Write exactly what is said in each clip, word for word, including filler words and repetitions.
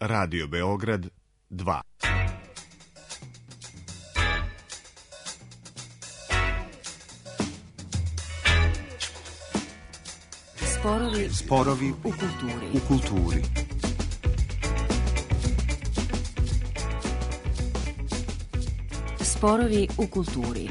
Radio Beograd dva. Sporovi, Sporovi u kulturi. U kulturi. Sporovi u kulturi.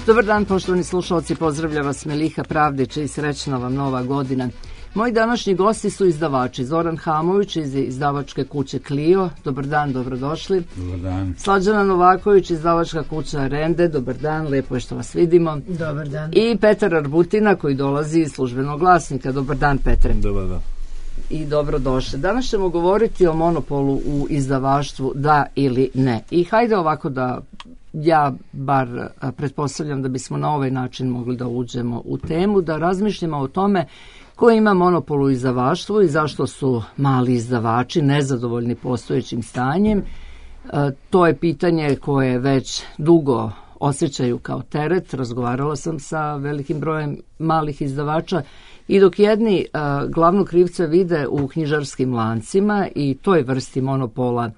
Dobar dan, poštovani slušalci, pozdravlja vas Meliha Pravdić i srećna vam nova godina. Moji današnji gosti su izdavači Zoran Hamović iz izdavačke kuće Clio. Dobar dan, dobrodošli. Dobar dan. Slađana Novaković, izdavačka kuća Rende. Dobar dan, lepo je što vas vidimo. Dobar dan. I Petar Arbutina koji dolazi iz Službenog glasnika. Dobar dan, Petre. Dobar dan. I dobrodošli. Danas ćemo govoriti o monopolu u izdavaštvu, da ili ne. I hajde ovako da ja bar pretpostavljam da bismo na ovaj način mogli da uđemo u temu, da razmišljamo o tome ko ima monopol u izdavaštvu i zašto su mali izdavači nezadovoljni postojećim stanjem. To je pitanje koje već dugo osjećaju kao teret. Razgovarala sam sa velikim brojem malih izdavača i dok jedni glavnu krivca vide u knjižarskim lancima i toj vrsti monopola,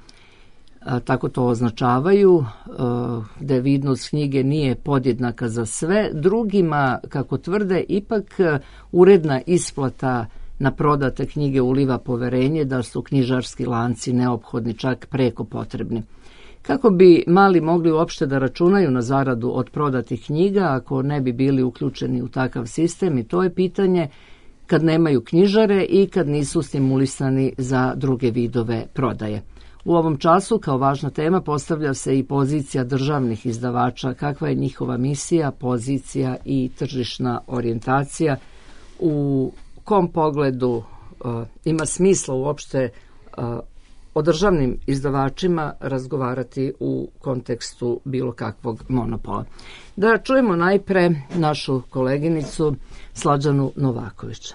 tako to označavaju, da vidnost knjige nije podjednaka za sve, drugima, kako tvrde, ipak uredna isplata na prodate knjige uliva poverenje da su knjižarski lanci neophodni, čak preko potrebni. Kako bi mali mogli uopšte da računaju na zaradu od prodatih knjiga ako ne bi bili uključeni u takav sistem, i to je pitanje kad nemaju knjižare i kad nisu stimulisani za druge vidove prodaje. U ovom času kao važna tema postavlja se i pozicija državnih izdavača, kakva je njihova misija, pozicija i tržišna orijentacija, u kom pogledu uh, ima smisla uopšte uh, o državnim izdavačima razgovarati u kontekstu bilo kakvog monopola. Da čujemo najpre našu koleginicu Slađanu Novaković.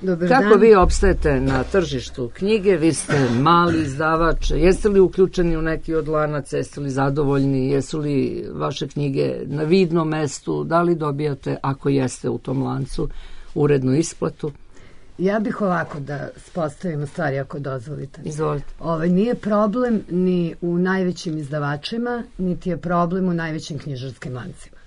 Dobar Kako dan. vi opstajete na tržištu knjige? Vi ste mali izdavač. Jeste li uključeni u neki od lanaca? Jeste li zadovoljni? Jesu li vaše knjige na vidnom mestu? Da li dobijate, ako jeste u tom lancu, urednu isplatu? Ja bih ovako da postavimo stvari, ako dozvolite. Izvolite. Ovaj, nije problem ni u najvećim izdavačima, niti je problem u najvećim knjižarskim lancima.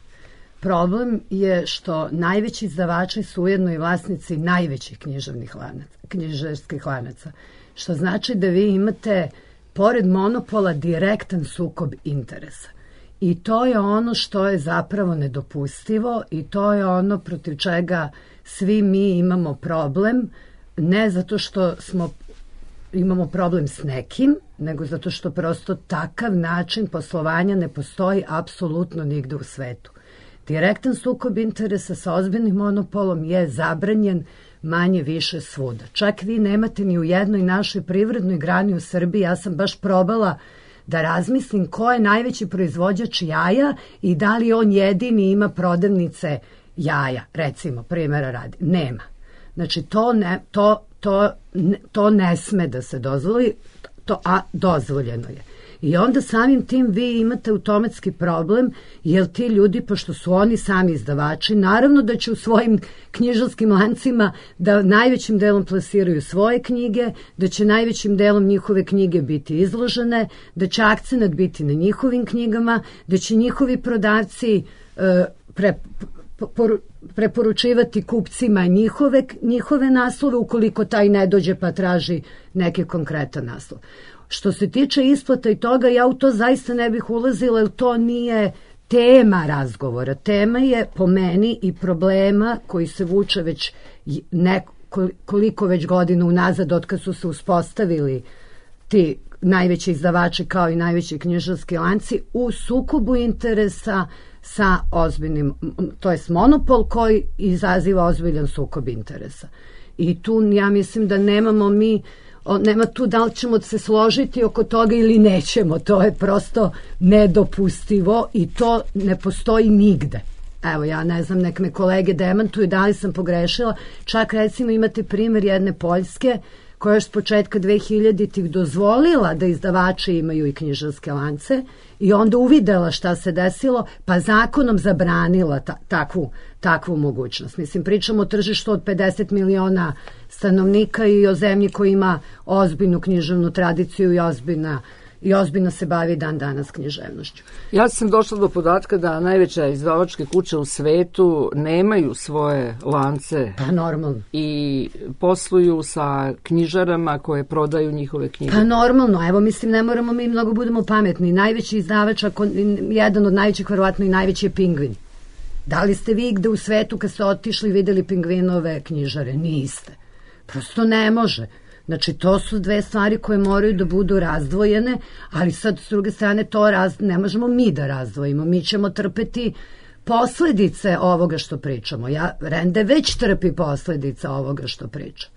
Problem je što najveći izdavači su ujedno i vlasnici najvećih književnih lanaca, knjižarskih lanaca, što znači da vi imate, pored monopola, direktan sukob interesa. I to je ono što je zapravo nedopustivo i to je ono protiv čega svi mi imamo problem, ne zato što smo imamo problem s nekim, nego zato što prosto takav način poslovanja ne postoji apsolutno nigde u svetu. Direktan sukob interesa sa ozbiljnim monopolom je zabranjen manje više svuda. Čak vi nemate ni u jednoj našoj privrednoj grani u Srbiji. Ja sam baš probala da razmislim ko je najveći proizvođač jaja i da li on jedini ima prodavnice jaja, recimo, primjera radi. Nema. Znači, to ne, to, to, to ne sme da se dozvoli, to, a dozvoljeno je. I onda samim tim vi imate automatski problem, jer ti ljudi, pošto su oni sami izdavači, naravno da će u svojim knjižarskim lancima da najvećim delom plasiraju svoje knjige, da će najvećim delom njihove knjige biti izložene, da će akcenat biti na njihovim knjigama, da će njihovi prodavci e, pre, poru, preporučivati kupcima njihove, njihove naslove, ukoliko taj ne dođe pa traži neki konkretan naslov. Što se tiče isplata i toga, ja u to zaista ne bih ulazila, jer to nije tema razgovora. Tema je, po meni, i problema koji se vuče već nekoliko već godina unazad, od kad su se uspostavili ti najveći izdavači kao i najveći knjižarski lanci, u sukobu interesa sa ozbiljnim, to jest monopol koji izaziva ozbiljan sukob interesa. I tu ja mislim da nemamo mi O, nema tu da li ćemo se složiti oko toga ili nećemo, to je prosto nedopustivo i to ne postoji nigde. Evo, ja ne znam, nek me kolege demantuju da li sam pogrešila. Čak recimo imate primjer jedne Poljske koja je s početka dvehiljaditih dozvolila da izdavači imaju i knjižarske lance i onda uvidela šta se desilo, pa zakonom zabranila ta, takvu, takvu mogućnost. Mislim, pričamo o tržištu od pedeset miliona stanovnika i o zemlji koja ima ozbiljnu književnu tradiciju i ozbiljna i ozbiljno se bavi dan danas književnošću. Ja sam došla do podatka da najveće izdavačke kuće u svetu nemaju svoje lance. Pa normalno. I posluju sa knjižarama koje prodaju njihove knjige. Pa normalno, evo mislim ne moramo mi mnogo budemo pametni. Najveći izdavač, ako, jedan od najvećih, verovatno i najveći je Pingvin. Da li ste vi gde u svetu kad ste otišli videli Pingvinove knjižare? Niste. Prosto ne može. Znači, to su dve stvari koje moraju da budu razdvojene, ali sad, s druge strane, to raz... ne možemo mi da razdvojimo. Mi ćemo trpeti posledice ovoga što pričamo. Ja, Rende već trpi posledice ovoga što priča.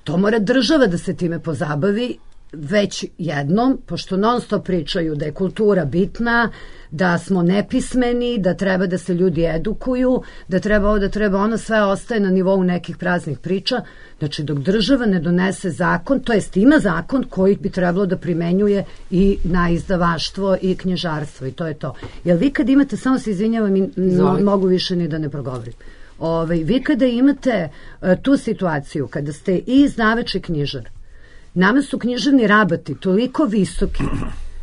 To mora država da se time pozabavi već jednom, pošto non stop pričaju da je kultura bitna, da smo nepismeni, da treba da se ljudi edukuju, da treba ovo, da treba ono, sve ostaje na nivou nekih praznih priča. Znači, dok država ne donese zakon, to jest ima zakon koji bi trebalo da primenjuje i na izdavaštvo i knjižarstvo i to je to. Jer vi kad imate, samo se izvinjavam, mo, mogu više ni da ne progovorim. Ove, vi kada imate uh, tu situaciju, kada ste i izdavač i knjižar, nama su književni rabati toliko visoki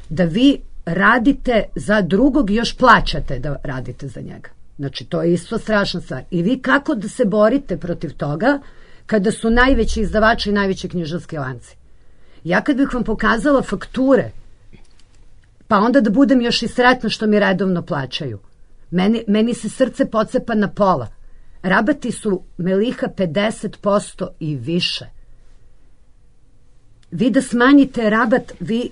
da vi radite za drugog i još plaćate da radite za njega. Znači, to je isto strašna stvar. I vi kako da se borite protiv toga kada su najveći izdavači i najveći knjižarski lanci? Ja kad bih vam pokazala fakture, pa onda da budem još i sretna što mi redovno plaćaju, meni, meni se srce pocepa na pola. Rabati su Meliha pedeset posto i više. Vi da smanjite rabat, vi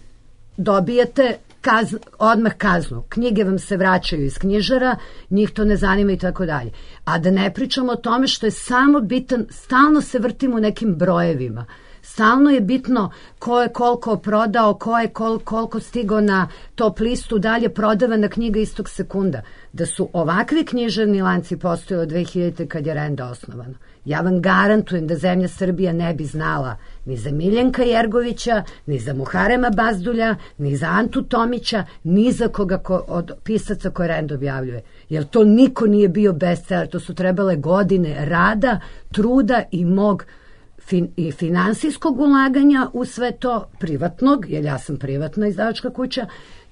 dobijete kazn, odmah kaznu. Knjige vam se vraćaju iz knjižara, njih to ne zanima i tako dalje. A da ne pričamo o tome što je samo bitan, stalno se vrtimo u nekim brojevima. Stalno je bitno ko je koliko prodao, ko je kol, koliko stigao na top listu, dalje prodavana knjiga istog sekunda. Da su ovakvi književni lanci postojali od dvehiljadite kad je Renda osnovano. Ja vam garantujem da zemlja Srbija ne bi znala ni za Miljenka Jergovića, ni za Muharema Bazdulja, ni za Antu Tomića, ni za koga ko, od pisaca koje Renda objavljuje. Jer to niko nije bio bestseller, to su trebale godine rada, truda i mog fin, i finansijskog ulaganja u sve to, privatnog, jer ja sam privatna izdavačka kuća,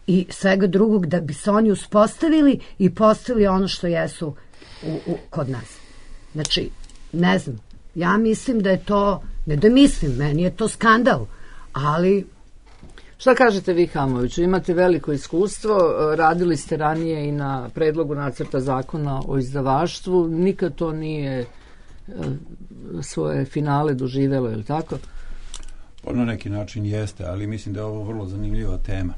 i svega drugog da bi se oni uspostavili i postavili ono što jesu u, u, kod nas. Znači, ne znam, ja mislim da je to, ne da mislim, meni je to skandal, ali... Šta kažete vi, Hamoviću? Imate veliko iskustvo, radili ste ranije i na predlogu nacrta zakona o izdavaštvu, nikad to nije svoje finale doživelo, je li tako? Na neki način jeste, ali mislim da je ovo vrlo zanimljiva tema.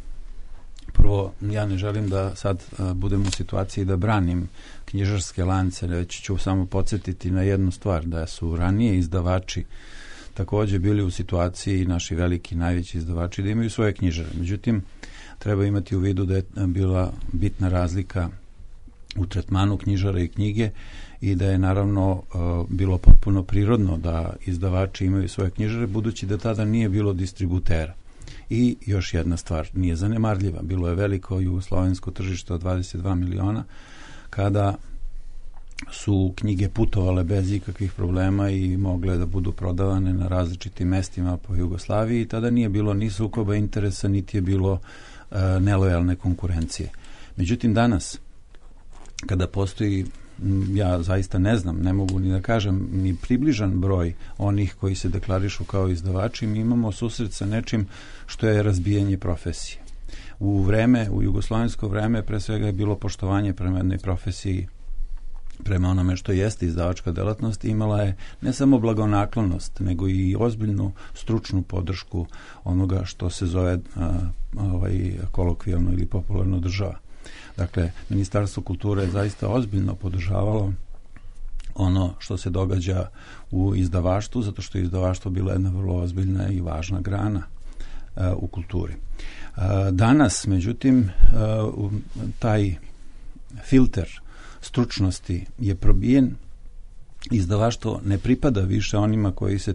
Prvo, ja ne želim da sad uh, budem u situaciji da branim knjižarske lance, već ću samo podsjetiti na jednu stvar, da su ranije izdavači takođe bili u situaciji, naši veliki, najveći izdavači, da imaju svoje knjižare. Međutim, treba imati u vidu da je bila bitna razlika u tretmanu knjižara i knjige i da je naravno uh, bilo potpuno prirodno da izdavači imaju svoje knjižare, budući da tada nije bilo distributera. I još jedna stvar, nije zanemarljiva, bilo je veliko jugoslovensko tržište od dvadeset dva miliona, kada su knjige putovale bez ikakvih problema i mogle da budu prodavane na različitim mestima po Jugoslaviji i tada nije bilo ni sukoba interesa, niti je bilo uh, nelojalne konkurencije. Međutim, danas, kada postoji, ja zaista ne znam, ne mogu ni da kažem, ni približan broj onih koji se deklarišu kao izdavači, mi imamo susret sa nečim što je razbijanje profesije. U vreme, u jugoslovensko vreme, pre svega je bilo poštovanje prema jednoj profesiji, prema onome što jeste izdavačka delatnost, imala je ne samo blagonaklonost, nego i ozbiljnu stručnu podršku onoga što se zove a, ovaj, kolokvijalno ili popularno država. Dakle, Ministarstvo kulture je zaista ozbiljno podržavalo ono što se događa u izdavaštvu, zato što je izdavaštvo bila jedna vrlo ozbiljna i važna grana uh, u kulturi. Uh, danas, međutim, uh, taj filter stručnosti je probijen. Izdavaštvo ne pripada više onima koji se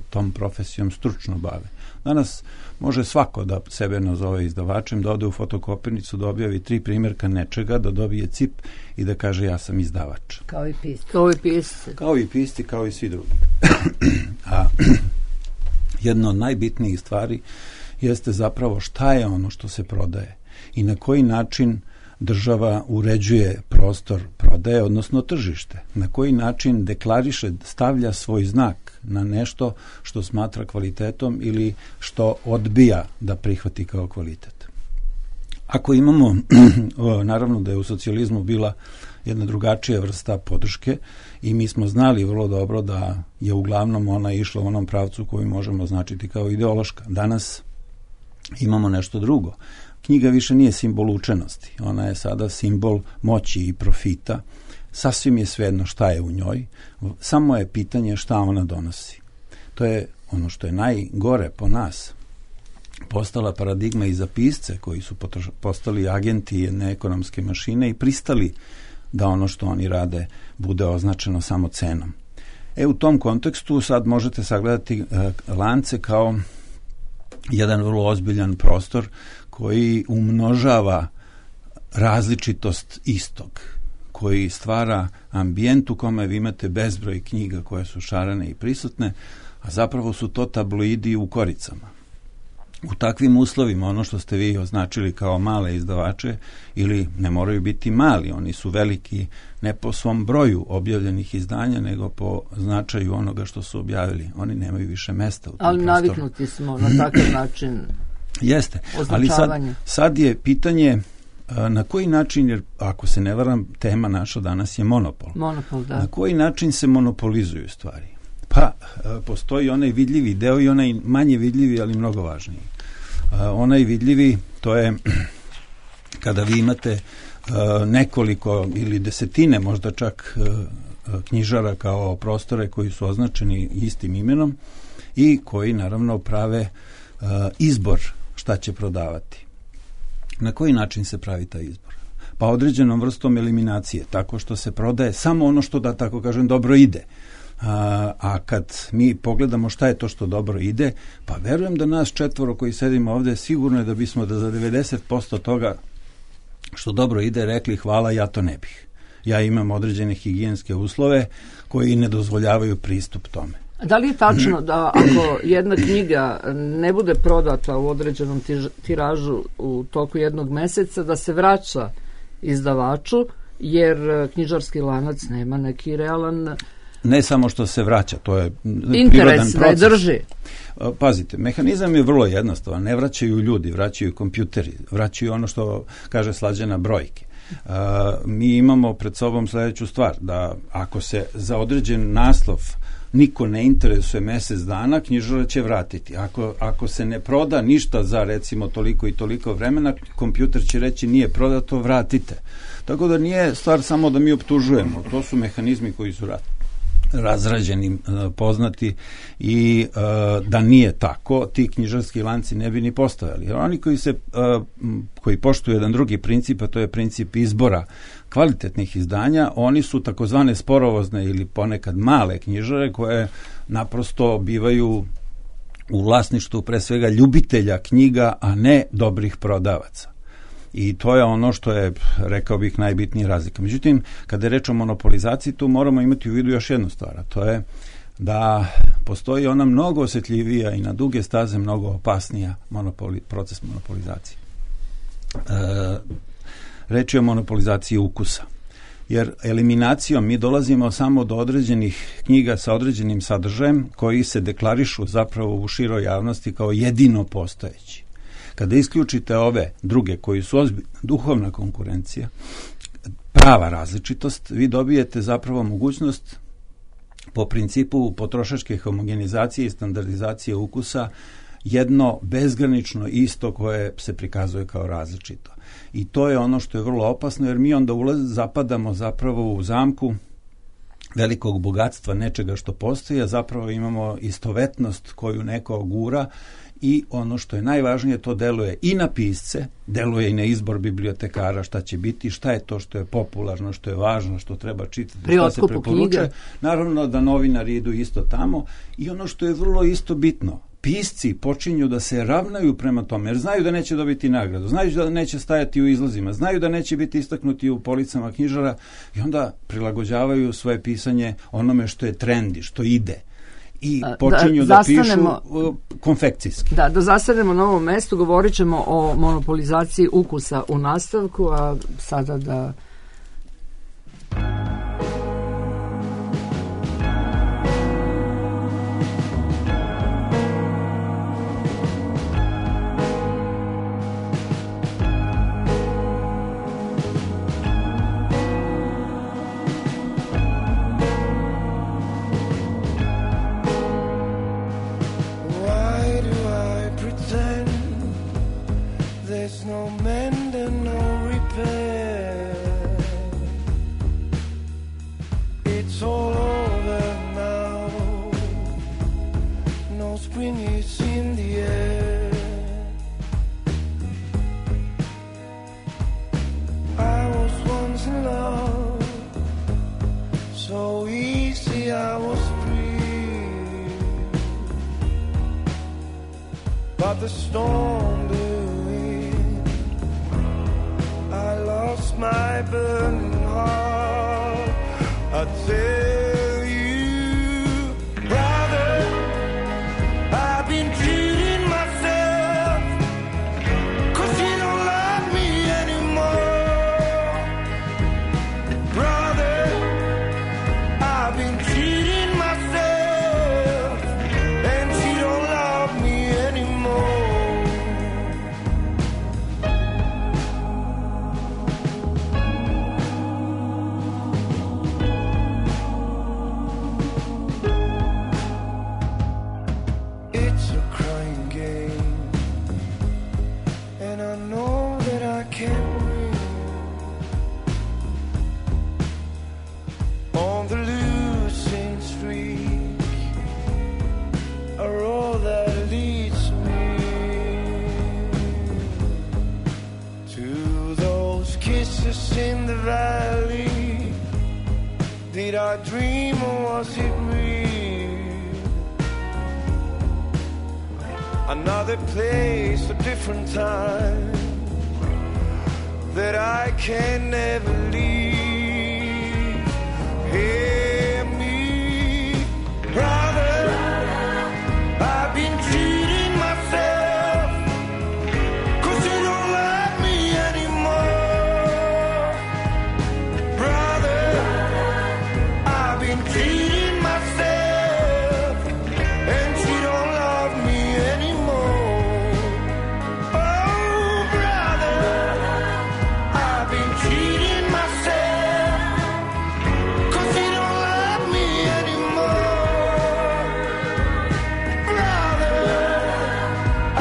tom profesijom stručno bave. Danas može svako da sebe nazove izdavačem, da ode u fotokopirnicu, da objavi tri primjerka nečega, da dobije cip i da kaže ja sam izdavač. Kao i pisci. Kao i pisci. Kao i pisci, kao i svi drugi. A jedna od najbitnijih stvari jeste zapravo šta je ono što se prodaje i na koji način država uređuje prostor prodaje, odnosno tržište. Na koji način deklariše, stavlja svoj znak na nešto što smatra kvalitetom ili što odbija da prihvati kao kvalitet. Ako imamo, naravno da je u socijalizmu bila jedna drugačija vrsta podrške i mi smo znali vrlo dobro da je uglavnom ona išla u onom pravcu koju možemo označiti kao ideološka. Danas imamo nešto drugo. Knjiga više nije simbol učenosti, ona je sada simbol moći i profita. Sasvim je svejedno šta je u njoj, samo je pitanje šta ona donosi. To je ono što je najgore po nas. Postala paradigma i za pisce koji su postali agenti jedne ekonomske mašine i pristali da ono što oni rade bude označeno samo cenom. E u tom kontekstu sad možete sagledati uh, lance kao jedan vrlo ozbiljan prostor koji umnožava različitost istog, koji stvara ambijent u kome vi imate bezbroj knjiga koje su šarene i prisutne, a zapravo su to tabloidi u koricama. U takvim uslovima ono što ste vi označili kao male izdavače, ili ne moraju biti mali, oni su veliki ne po svom broju objavljenih izdanja, nego po značaju onoga što su objavili. Oni nemaju više mesta u tom ali prostoru. Naviknuti smo na takav način. Jeste, ali sad, sad je pitanje na koji način, jer ako se ne varam, tema naša danas je monopol. Monopol, da. Na koji način se monopolizuju stvari? Pa, postoji onaj vidljivi deo i onaj manje vidljivi, ali mnogo važniji. Onaj vidljivi, to je kada vi imate nekoliko ili desetine, možda čak knjižara kao prostore koji su označeni istim imenom i koji naravno prave izbor šta će prodavati. Na koji način se pravi taj izbor? Pa određenom vrstom eliminacije, tako što se prodaje samo ono što, da tako kažem, dobro ide. A, a kad mi pogledamo šta je to što dobro ide, pa verujem da nas četvoro koji sedimo ovde sigurno je da bismo da za devedeset posto toga što dobro ide rekli hvala, ja to ne bih. Ja imam određene higijenske uslove koji ne dozvoljavaju pristup tome. Da li je tačno da ako jedna knjiga ne bude prodata u određenom tiražu u toku jednog meseca, da se vraća izdavaču, jer knjižarski lanac nema neki realan... Ne samo što se vraća, to je interes prirodan da proces. Je drži. Pazite, mehanizam je vrlo jednostavan. Ne vraćaju ljudi, vraćaju kompjuteri, vraćaju ono što kaže Slađana brojke. Uh, mi imamo pred sobom sljedeću stvar, da ako se za određen naslov niko ne interesuje mjesec dana, knjižara će vratiti. Ako, ako se ne proda ništa za recimo toliko i toliko vremena, kompjuter će reći nije prodato, vratite. Tako da nije stvar samo da mi optužujemo, to su mehanizmi koji su radili. razrađeni, poznati i uh, da nije tako, ti knjižarski lanci ne bi ni postojali. Oni koji se uh, koji poštuju jedan drugi princip, a to je princip izbora kvalitetnih izdanja, oni su takozvane sporovozne ili ponekad male knjižare koje naprosto bivaju u vlasništvu pre svega ljubitelja knjiga, a ne dobrih prodavaca. I to je ono što je, rekao bih, najbitnija razlika. Međutim, kada je reč o monopolizaciji, tu moramo imati u vidu još jednu stvar, a to je da postoji ona mnogo osjetljivija i na duge staze mnogo opasnija monopoli, proces monopolizacije. E, reč je o monopolizaciji ukusa. Jer eliminacijom mi dolazimo samo do određenih knjiga sa određenim sadržajem koji se deklarišu zapravo u široj javnosti kao jedino postojeći. Kada isključite ove druge koji su ozbiljna duhovna konkurencija, prava različitost, vi dobijete zapravo mogućnost po principu potrošačke homogenizacije i standardizacije ukusa jedno bezgranično isto koje se prikazuje kao različito. I to je ono što je vrlo opasno, jer mi onda ulaz, zapadamo zapravo u zamku velikog bogatstva nečega što postoji, a zapravo imamo istovetnost koju neko gura i ono što je najvažnije, to deluje i na pisce, deluje i na izbor bibliotekara šta će biti, šta je to što je popularno, što je važno, što treba čitati, Pri šta se otkupu preporučuje. knjiga. Naravno da novinari idu isto tamo i ono što je vrlo isto bitno, pisci počinju da se ravnaju prema tome, jer znaju da neće dobiti nagradu, znaju da neće stajati u izlazima, znaju da neće biti istaknuti u policama knjižara i onda prilagođavaju svoje pisanje onome što je trendi, što ide. I počinju da, da pišu uh, konfekcijski. Da, da zastanemo na ovom mestu, govorit ćemo o monopolizaciji ukusa u nastavku, a sada da... But the storm blew in, I lost my burning heart. I tell you, brother, I've been cheating myself, 'cause you don't love me anymore. Brother, I've been cheating myself, and she don't love me anymore. It's a crying game, and I know that I can't win. On the losing streak are all that leads me to those kisses in the valley. Did I dream or was it real? Another place, a different time that I can never leave. Hear me, brother, I've been cheating myself, 'cause you don't love me anymore. Brother, I've been cheating myself, and she don't love me anymore. Oh, brother, I've been cheating myself, 'cause you don't love me anymore. Brother,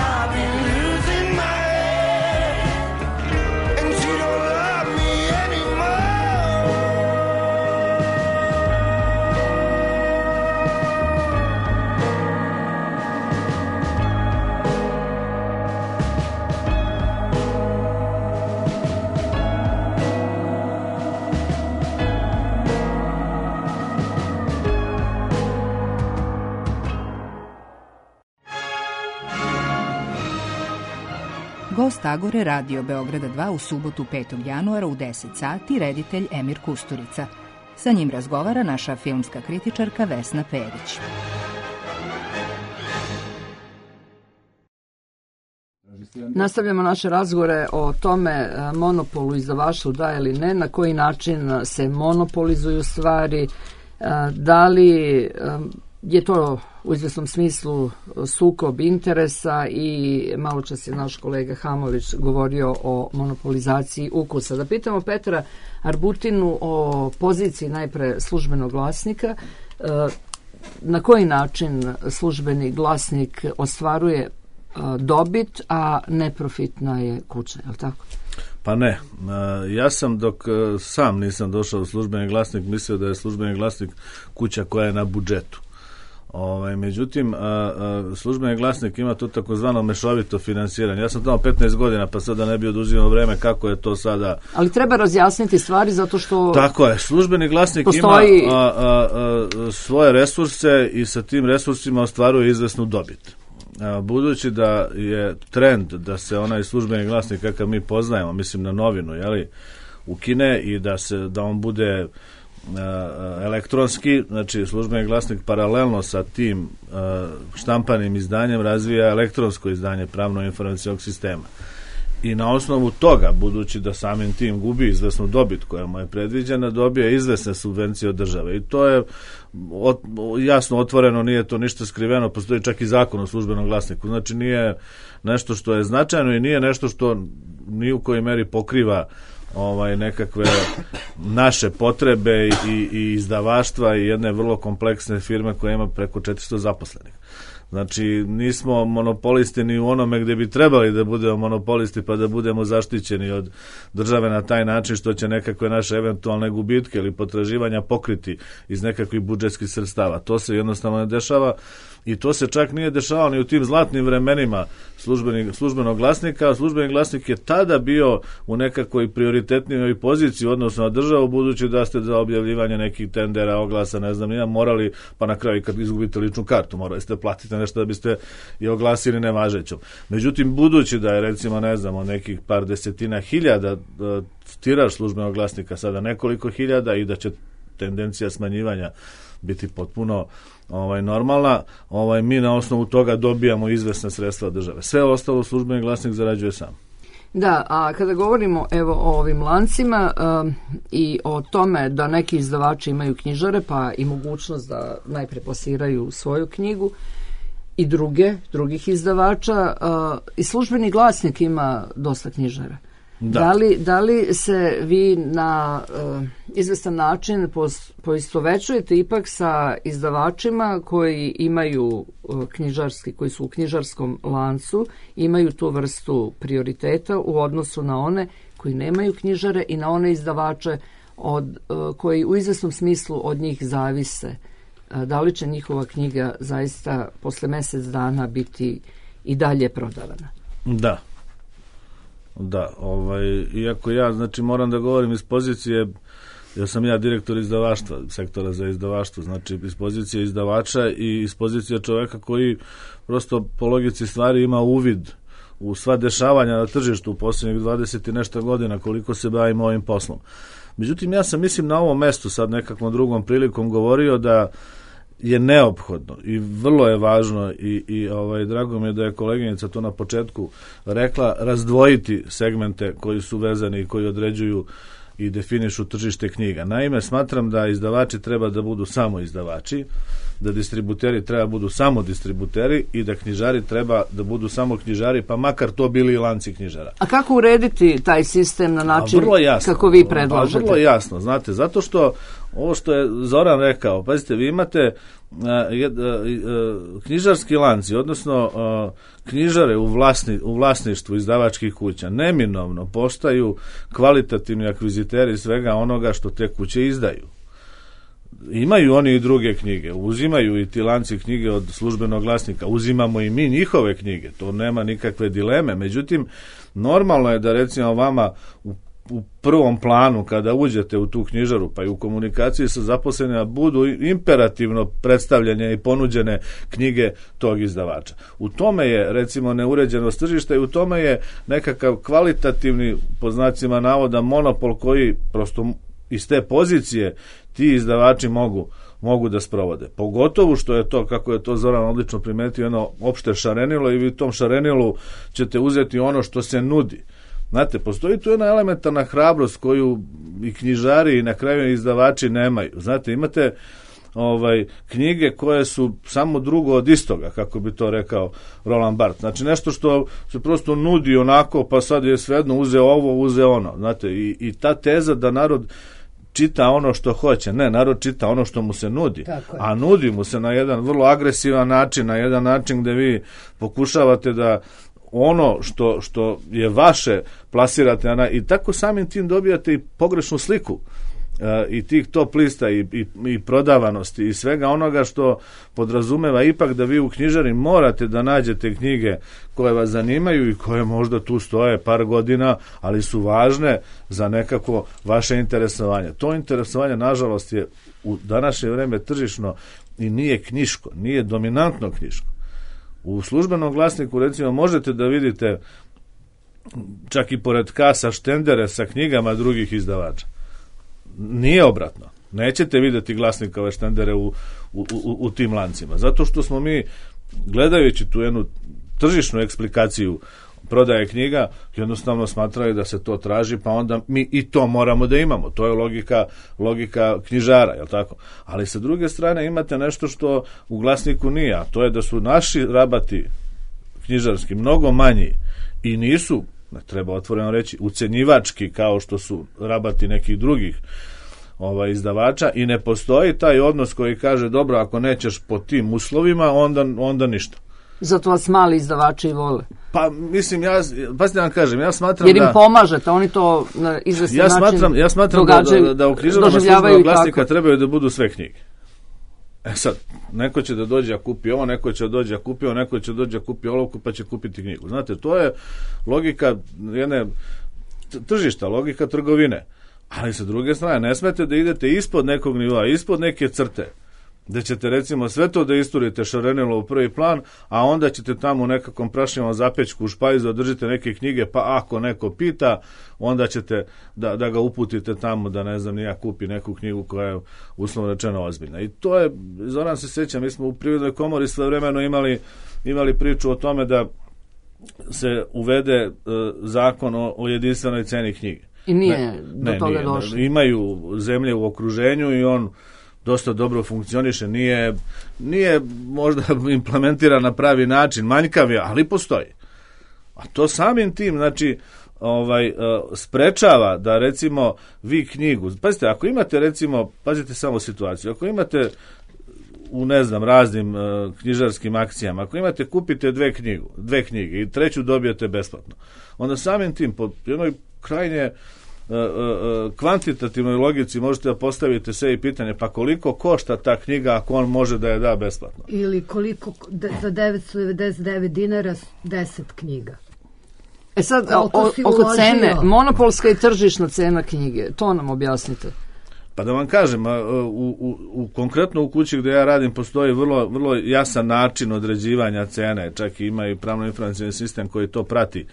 I've been losing my head, and she don't love me anymore. Gost Agore Radio Beograda dva u subotu petog januara u deset sati, reditelj Emir Kusturica. Sa njim razgovara naša filmska kritičarka Vesna Perić. Nastavljamo naše razgovore o tome e, monopolu izdavaštvu da ili ne, na koji način se monopolizuju stvari, e, da li e, je to u izvesnom smislu sukob interesa i malo čas je naš kolega Hamović govorio o monopolizaciji ukusa. Da pitamo Petra Arbutinu o poziciji najpre službenog glasnika, e, na koji način službeni glasnik ostvaruje dobit, a neprofitna je kuća, je li tako? Pa ne, ja sam dok sam nisam došao u službeni glasnik mislio da je službeni glasnik kuća koja je na budžetu. Ovaj, međutim, a, a, službeni glasnik ima to takozvano mešovito finansiranje. Ja sam tamo petnaest godina, pa sada ne bi oduzimao vreme kako je to sada. Ali treba razjasniti stvari zato što... Tako je, službeni glasnik postoji... ima a, a, a, svoje resurse i sa tim resursima ostvaruje izvesnu dobit. A, budući da je trend da se onaj službeni glasnik kakav mi poznajemo, mislim na novinu, jeli, ukine i da se da on bude elektronski, znači službeni glasnik paralelno sa tim štampanim izdanjem razvija elektronsko izdanje pravno-informacijskog sistema. I na osnovu toga, budući da samim tim gubi izvesnu dobit koja mu je predviđena, dobije izvesne subvencije od države. I to je ot, jasno otvoreno, nije to ništa skriveno, postoji čak i zakon o službenom glasniku. Znači nije nešto što je značajno i nije nešto što ni u kojoj meri pokriva ovaj nekakve naše potrebe i, i izdavaštva i jedne vrlo kompleksne firme koja ima preko četiristo zaposlenih. Znači, nismo monopolisti ni u onome gdje bi trebali da budemo monopolisti pa da budemo zaštićeni od države na taj način što će nekakve naše eventualne gubitke ili potraživanja pokriti iz nekakvih budžetskih sredstava. To se jednostavno ne dešava i to se čak nije dešavalo ni u tim zlatnim vremenima službenog glasnika, a službeni glasnik je tada bio u nekakvoj prioritetnijoj poziciji odnosno na državu, budući da ste za objavljivanje nekih tendera, oglasa, ne znam, nije morali, pa na kraju kad izgubite ličnu kartu, morali ste platiti nešto da biste i oglasili nevažećom. Međutim, budući da je recimo, ne znam, od nekih par desetina hiljada tiraž službenog glasnika sada nekoliko hiljada i da će tendencija smanjivanja biti potpuno ovaj normalna, ovaj mi na osnovu toga dobijamo izvesna sredstva države. Sve ostalo službeni glasnik zarađuje sam. Da, a kada govorimo evo o ovim lancima um, i o tome da neki izdavači imaju knjižare, pa i mogućnost da najpre plasiraju svoju knjigu i druge, drugih izdavača, uh, i službeni glasnik ima dosta knjižara. Da. Da li, da li se vi na uh, izvestan način poistovećujete ipak sa izdavačima koji imaju uh, knjižarski, koji su u knjižarskom lancu, imaju tu vrstu prioriteta u odnosu na one koji nemaju knjižare i na one izdavače od, uh, koji u izvesnom smislu od njih zavise? Uh, da li će njihova knjiga zaista posle mjesec dana biti i dalje prodavana? Da. Da, ovaj, iako ja, znači, moram da govorim iz pozicije, ja sam ja direktor izdavaštva, sektora za izdavaštvo, znači iz pozicije izdavača i iz pozicije čoveka koji prosto po logici stvari ima uvid u sva dešavanja na tržištu u posljednjih dvadeset i nešto godina koliko se bavimo ovim poslom. Međutim, ja sam, mislim, na ovom mestu sad nekakvom drugom prilikom govorio da je neophodno i vrlo je važno i, i ovaj, drago mi je da je koleginica to na početku rekla, razdvojiti segmente koji su vezani i koji određuju i definišu tržište knjiga. Naime, smatram da izdavači treba da budu samo izdavači, da distributeri treba budu samo distributeri i da knjižari treba da budu samo knjižari, pa makar to bili i lanci knjižara. A kako urediti taj sistem na način jasno, kako vi predlažete? Vrlo jasno, znate, zato što ovo što je Zoran rekao, pazite, vi imate uh, jed, uh, uh, knjižarski lanci, odnosno uh, knjižare u, vlasni, u vlasništvu izdavačkih kuća, neminovno postaju kvalitativni akviziteri svega onoga što te kuće izdaju. Imaju oni i druge knjige, uzimaju i ti lanci knjige od službenog glasnika, uzimamo i mi njihove knjige, to nema nikakve dileme, međutim, normalno je da recimo vama u u prvom planu kada uđete u tu knjižaru pa i u komunikaciji sa zaposlenima budu imperativno predstavljene i ponuđene knjige tog izdavača. U tome je recimo neuređenost tržišta i u tome je nekakav kvalitativni, po znacima navoda, monopol koji prosto iz te pozicije ti izdavači mogu mogu da sprovode. Pogotovo što je to, kako je to Zoran odlično primetio, jedno opšte šarenilo i vi u tom šarenilu ćete uzeti ono što se nudi. Znate, postoji tu jedna elementarna hrabrost koju i knjižari i na kraju izdavači nemaju. Znate, imate ovaj knjige koje su samo drugo od istoga, kako bi to rekao Roland Barthes. Znači, nešto što se prosto nudi onako, pa sad je svejedno uze ovo, uze ono. Znate, i, i ta teza da narod čita ono što hoće. Ne, narod čita ono što mu se nudi. A nudi mu se na jedan vrlo agresivan način, na jedan način gde vi pokušavate da ono što, što je vaše plasirate na, i tako samim tim dobijate i pogrešnu sliku i tih top lista i, i, i prodavanosti i svega onoga što podrazumeva ipak da vi u knjižari morate da nađete knjige koje vas zanimaju i koje možda tu stoje par godina, ali su važne za nekako vaše interesovanje. To interesovanje, nažalost, je u današnje vreme tržišno i nije knjiško, nije dominantno knjiško. U službenom glasniku, recimo, možete da vidite čak i pored kasa štendere sa knjigama drugih izdavača. Nije obratno. Nećete vidjeti glasnikove štendere u, u, u, u tim lancima. Zato što smo mi, gledajući tu jednu tržišnu eksplikaciju prodaje knjiga, jednostavno smatraju da se to traži, pa onda mi i to moramo da imamo. To je logika, logika knjižara, je li tako? Ali sa druge strane imate nešto što u glasniku nije, a to je da su naši rabati knjižarski mnogo manji i nisu, ne treba otvoreno reći, ucenjivački kao što su rabati nekih drugih ovaj, izdavača i ne postoji taj odnos koji kaže dobro, ako nećeš po tim uslovima, onda, onda ništa. Zato vas mali izdavači i vole. Pa mislim, ja, pa da vam kažem, ja smatram jer im da... pomažete, oni to na izvestan ja način smatram, ja smatram da, da, da u knjižarama službenog glasnika trebaju da budu sve knjige. E sad, neko će da dođe a kupi ovo, neko će da dođe a kupi ovo, neko će da dođe a kupi olovku pa će kupiti knjigu. Znate, to je logika jedne tržišta, logika trgovine. Ali sa druge strane, ne smete da idete ispod nekog nivoa, ispod neke crte, da ćete recimo sve to da isturite šarenilo u prvi plan, a onda ćete tamo u nekakvom prašnivom zapečku u špajzu održite neke knjige, pa ako neko pita, onda ćete da, da ga uputite tamo da ne znam, nija kupi neku knjigu koja je uslovno rečeno ozbiljna. I to je, Zoran se sjeća, mi smo u Privrednoj komori svojevremeno imali, imali priču o tome da se uvede uh, zakon o, o jedinstvenoj ceni knjige. I nije ne, do ne, toga nije, došlo. Imaju zemlje u okruženju i on dosta dobro funkcioniše, nije, nije možda implementiran na pravi način, manjkav je, ali postoji. A to samim tim, znači, ovaj, sprečava da recimo vi knjigu, pazite, ako imate recimo, pazite samo situaciju, ako imate u ne znam raznim uh, knjižarskim akcijama, ako imate kupite dve knjigu, dve knjige i treću dobijete besplatno, onda samim tim po jednoj krajnje uh, uh, kvantitativnoj logici možete da postavite sve i pitanje, pa koliko košta ta knjiga ako on može da je da besplatno? Ili koliko de, za devetsto devedeset devet dinara deset knjiga. E sad, o, oko cene, monopolska i tržišna cena knjige, to nam objasnite. Pa da vam kažem, u, u, u, konkretno u kući gdje ja radim postoji vrlo, vrlo jasan način određivanja cene, čak i ima i pravno informacijski sistem koji to prati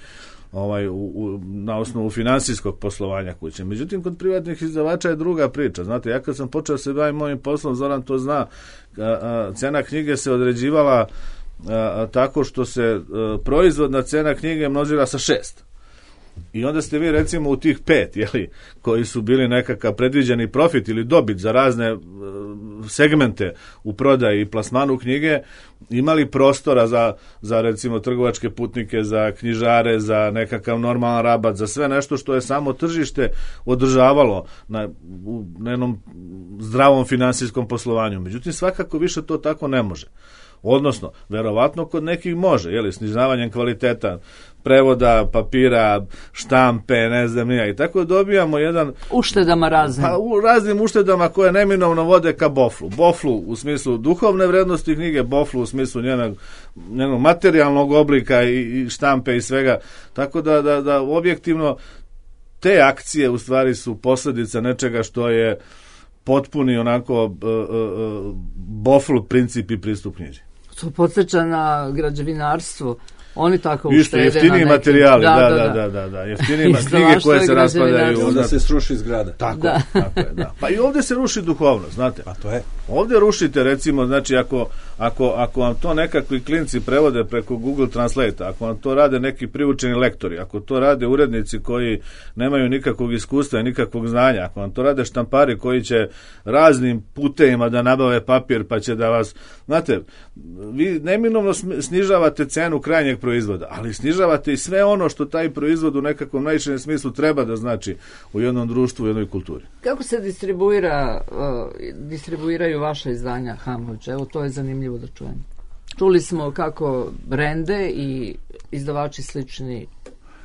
ovaj, u, u, na osnovu finansijskog poslovanja kuće. Međutim, kod privatnih izdavača je druga priča. Znate, ja kad sam počeo se bavim mojim poslom, Zoran to zna, a, a, cena knjige se određivala a, a, tako što se a, proizvodna cena knjige množila sa šest. I onda ste vi recimo u tih pet, jeli, koji su bili nekakav predviđeni profit ili dobit za razne uh, segmente u prodaji i plasmanu knjige, imali prostora za, za recimo trgovačke putnike, za knjižare, za nekakav normalan rabat, za sve nešto što je samo tržište održavalo na, u, na jednom zdravom finansijskom poslovanju. Međutim, svakako više to tako ne može. Odnosno, verovatno kod nekih može, jeli, snižavanjem kvaliteta prevoda, papira, štampe, ne znam nija. I tako dobijamo jedan... Uštedama raznim. Pa, u raznim uštedama koje neminovno vode ka boflu. Boflu u smislu duhovne vrednosti knjige, boflu u smislu njenog, njenog materijalnog oblika i, i štampe i svega. Tako da, da, da objektivno te akcije u stvari su posljedica nečega što je potpuni onako uh, uh, boflu princip i pristup knjiži. To podsjeća na građevinarstvo. Oni tako uštede. Isto jeftiniji materijali, da, da, da, da, da. Jeftiniji knjige koje se raspadaju. Onda se sruši zgrada. Tako, da. Tako je, da. Pa i ovdje se ruši duhovnost, znate. Pa to je. Ovdje rušite, recimo, znači, ako, ako, ako vam to nekakvi klinci prevode preko Google Translate, ako vam to rade neki priučeni lektori, ako to rade urednici koji nemaju nikakvog iskustva i nikakvog znanja, ako vam to rade štampari koji će raznim putevima da nabave papir, pa će da vas, znate, vi neminovno snižavate cenu krajnjeg proizvoda, ali snižavate i sve ono što taj proizvod u nekakvom najširem smislu treba da znači u jednom društvu, u jednoj kulturi. Kako se distribuira, uh, distribuiraju vaša izdanja Hamlić? Evo, to je zanimljivo da čujem. Čuli smo kako Rende i izdavači slični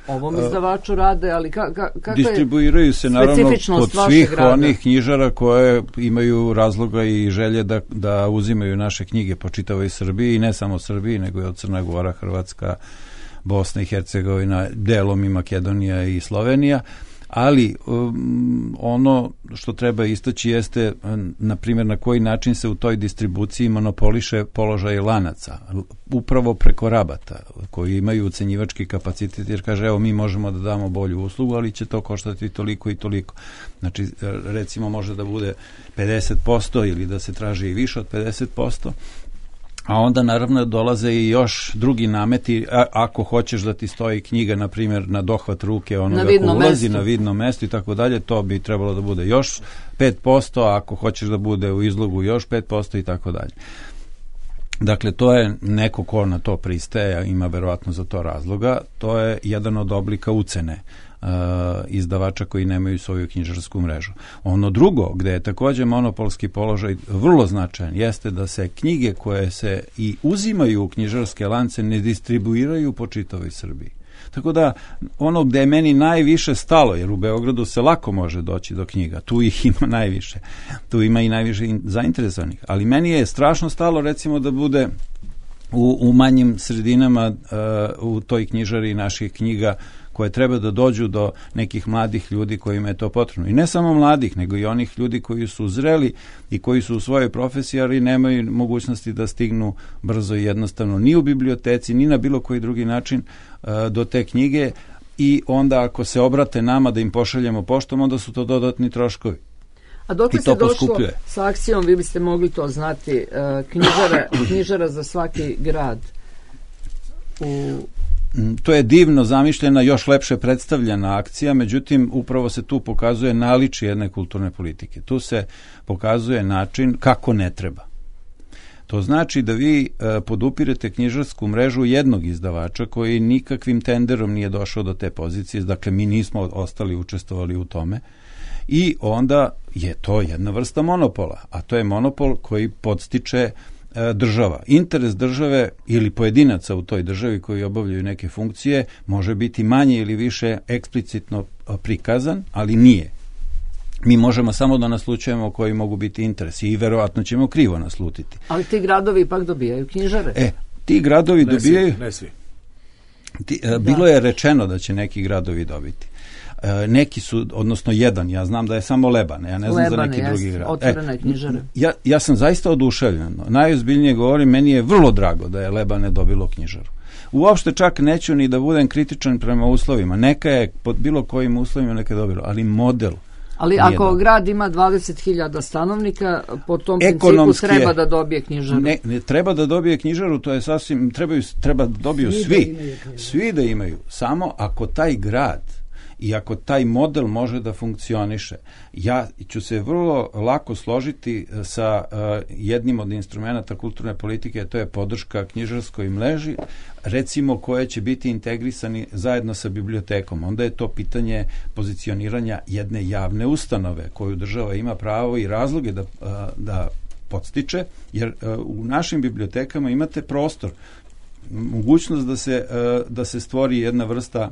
ovom izdavaču rade, ali ka, ka, kako distribuiraju se naravno kod svih grada? Onih knjižara koje imaju razloga i želje da, da uzimaju naše knjige po čitavoj Srbiji i ne samo Srbiji, nego i od Crna Gora, Hrvatska, Bosna i Hercegovina, delom i Makedonija i Slovenija. Ali um, ono što treba istaći jeste, na primjer, na koji način se u toj distribuciji monopoliše položaj lanaca, upravo preko rabata, koji imaju ucenjivački kapacitet, jer kaže, evo, mi možemo da damo bolju uslugu, ali će to koštati toliko i toliko. Znači, recimo, može da bude pedeset posto ili da se traži i više od pedeset posto, a onda naravno dolaze i još drugi nameti, a, ako hoćeš da ti stoji knjiga, na primjer, na dohvat ruke onoga ko ulazi mesto. Na vidno mesto i tako dalje, to bi trebalo da bude još pet posto, a ako hoćeš da bude u izlogu još pet posto i tako dalje. Dakle, to je neko ko na to pristaje, ima verovatno za to razloga, to je jedan od oblika ucene uh, izdavača koji nemaju svoju knjižarsku mrežu. Ono drugo, gde je takođe monopolski položaj vrlo značajan, jeste da se knjige koje se i uzimaju u knjižarske lance ne distribuiraju po čitavoj Srbiji. Tako da, ono gde je meni najviše stalo, jer u Beogradu se lako može doći do knjiga, tu ih ima najviše, tu ima i najviše zainteresovanih, ali meni je strašno stalo, recimo, da bude u, u manjim sredinama uh, u toj knjižari naših knjiga koje treba da dođu do nekih mladih ljudi kojima je to potrebno. I ne samo mladih, nego i onih ljudi koji su zreli i koji su u svojoj profesiji, ali nemaju mogućnosti da stignu brzo i jednostavno ni u biblioteci, ni na bilo koji drugi način uh, do te knjige, i onda ako se obrate nama da im pošaljemo poštom, onda su to dodatni troškovi. A dok li se došlo sa akcijom, vi biste mogli to znati, uh, knjižara, knjižara za svaki grad u... To je divno zamišljena, još lepše predstavljena akcija, međutim, upravo se tu pokazuje naličje jedne kulturne politike. Tu se pokazuje način kako ne treba. To znači da vi e, podupirete knjižarsku mrežu jednog izdavača koji nikakvim tenderom nije došao do te pozicije, dakle mi nismo ostali učestvovali u tome, i onda je to jedna vrsta monopola, a to je monopol koji podstiče država. Interes države ili pojedinaca u toj državi koji obavljaju neke funkcije može biti manje ili više eksplicitno prikazan, ali nije. Mi možemo samo da naslučujemo koji mogu biti interesi i verovatno ćemo krivo naslutiti. Ali ti gradovi ipak dobijaju knjižare. E, ti gradovi ne dobijaju... Svi, ne svi. Ti, da. Bilo je rečeno da će neki gradovi dobiti. E, neki su, odnosno jedan, ja znam da je samo Lebane, ja ne znam Lebane, za neki jest, drugi grad. Otvorene e, knjižare. Ja, ja sam zaista oduševljen. Najozbiljnije govorim, meni je vrlo drago da je Lebane dobilo knjižaru. Uopšte čak neću ni da budem kritičan prema uslovima. Neka je pod bilo kojim uslovima neka je dobilo, ali model. Ali ako dobro. Grad ima dvadeset hiljada stanovnika, po tom ekonomski principu treba da dobije knjižaru. Ne, ne treba da dobije knjižaru, to je sasvim, trebaju, treba da dobiju svi. Svi da, svi da imaju. Samo ako taj grad i ako taj model može da funkcioniše, ja ću se vrlo lako složiti sa uh, jednim od instrumenta kulturne politike, a to je podrška knjižarskoj mreži, recimo koje će biti integrisani zajedno sa bibliotekom. Onda je to pitanje pozicioniranja jedne javne ustanove koju država ima pravo i razloge da, uh, da podstiče, jer uh, u našim bibliotekama imate prostor, mogućnost da se, uh, da se stvori jedna vrsta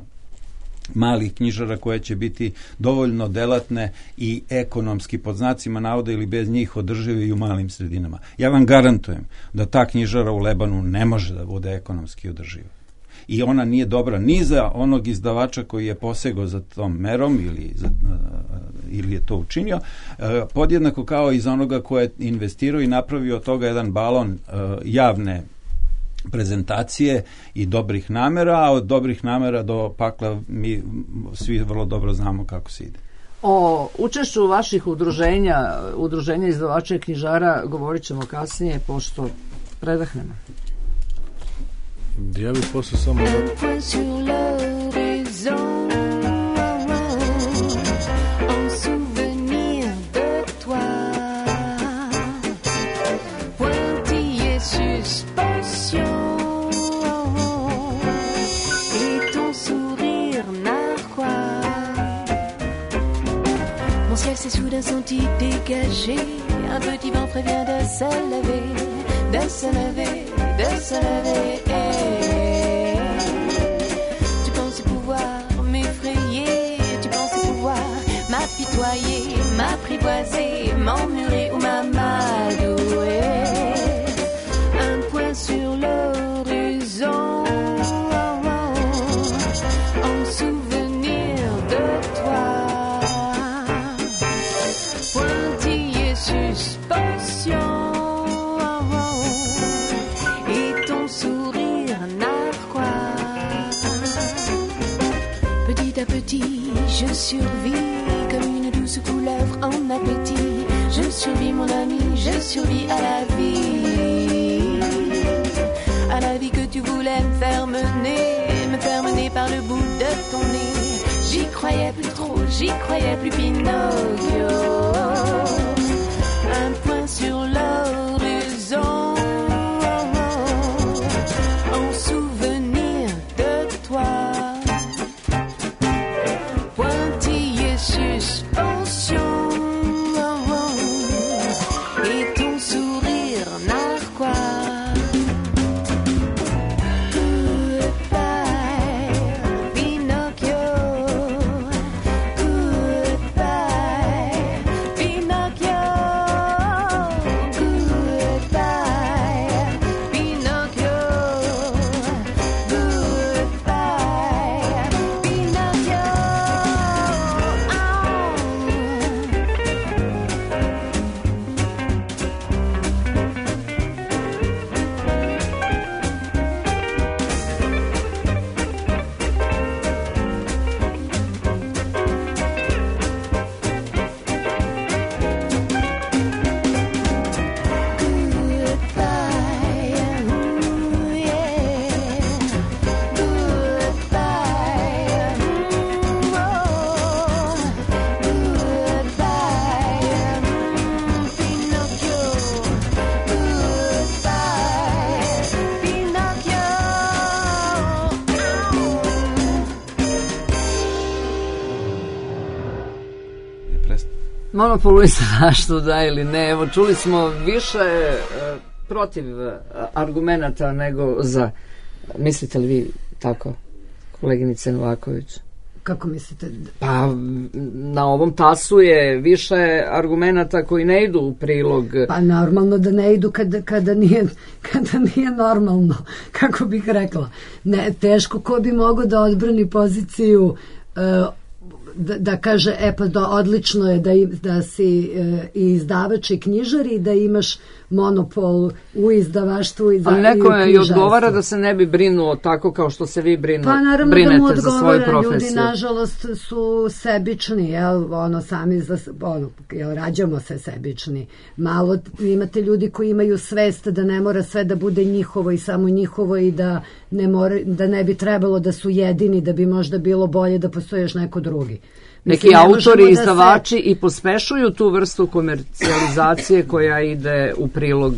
malih knjižara koje će biti dovoljno delatne i ekonomski, pod znacima navoda ili bez njih, održive i u malim sredinama. Ja vam garantujem da ta knjižara u Lebanu ne može da bude ekonomski održiva. I ona nije dobra ni za onog izdavača koji je posegao za tom merom ili, za, ili je to učinio, podjednako kao i za onoga ko je investirao i napravio od toga jedan balon javne prezentacije i dobrih namera, a od dobrih namera do pakla mi svi vrlo dobro znamo kako se ide. O učešću vaših udruženja, udruženja izdavača i knjižara, govorit ćemo kasnije, pošto predahnemo. Ja bih posle samo da... S'est soudain senti dégagé. Un petit vent prévient de se lever, de se lever, de se lever. Tu penses pouvoir m'embrasser, m'emmurer ou m'amadouer. Un point sur l'horizon, en souvenir de toi. Pointillé suspension, et ton sourire narquois. Petit à petit, je survis comme une douce couleuvre en appétit. Je survis mon ami, je survis à la vie. À la vie que tu voulais me faire mener, me faire mener par le bout de ton nez. J'y croyais plus trop, j'y croyais plus Pinocchio. Un point sur l'horizon, en souvenir de toi. Pointillé suspension, et ton sourire narquois. Goodbye, Pinocchio. Goodbye, Pinocchio. Goodbye, Pinocchio. Goodbye, Pinocchio. Monopol u izdavaštvu, da ili ne. Evo, čuli smo više e, protiv e, argumenata nego za. Mislite li vi tako, koleginice Novaković? Kako mislite? Pa na ovom tasu je više argumenata koji ne idu u prilog. Pa normalno da ne idu kada, kada, nije, kada nije normalno, kako bih rekla. Ne, teško ko bi mogao da odbrani poziciju uh, da, da kaže, e pa da odlično je da, da si e, i izdavač i knjižar i da imaš monopol u izdavaštvu i, za, ali neko i u je odgovara da se ne bi brinuo tako kao što se vi brinu, pa naravno brinete da mu za svoju profesiju. Ljudi nažalost su sebični, jel, ono sami za, ono, jel, rađamo se sebični. Malo imate ljudi koji imaju svest da ne mora sve da bude njihovo i samo njihovo i da ne, mora, da ne bi trebalo da su jedini, da bi možda bilo bolje da postoji još neko drugi. Neki Mislim, autori, izdavači se... i pospešuju tu vrstu komercijalizacije koja ide u prilog